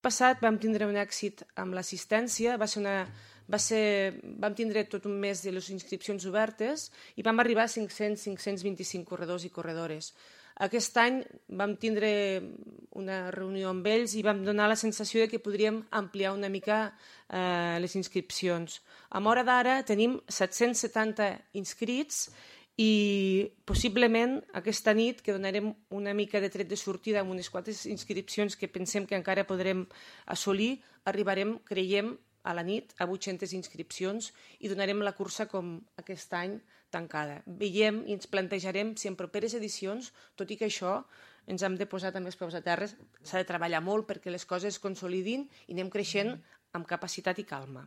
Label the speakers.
Speaker 1: passat vam tindre un èxit amb l'assistència, vam tindre tot un mes de les inscripcions obertes i vam arribar a 525 corredors i corredores. Aquest any vam tindre una reunió amb ells i vam donar la sensació que podríem ampliar una mica les inscripcions. A l'hora d'ara tenim 770 inscrits i possiblement aquesta nit, que donarem una mica de tret de sortida amb unes quantes inscripcions que pensem que encara podrem assolir, arribarem, creiem, a la nit a 800 inscripcions i donarem la cursa com aquest any tancada. Veiem i ens plantejarem si en properes edicions, tot i que això ens hem de posar també els peus a terra, s'ha de treballar molt perquè les coses es consolidin i anem creixent amb capacitat i calma.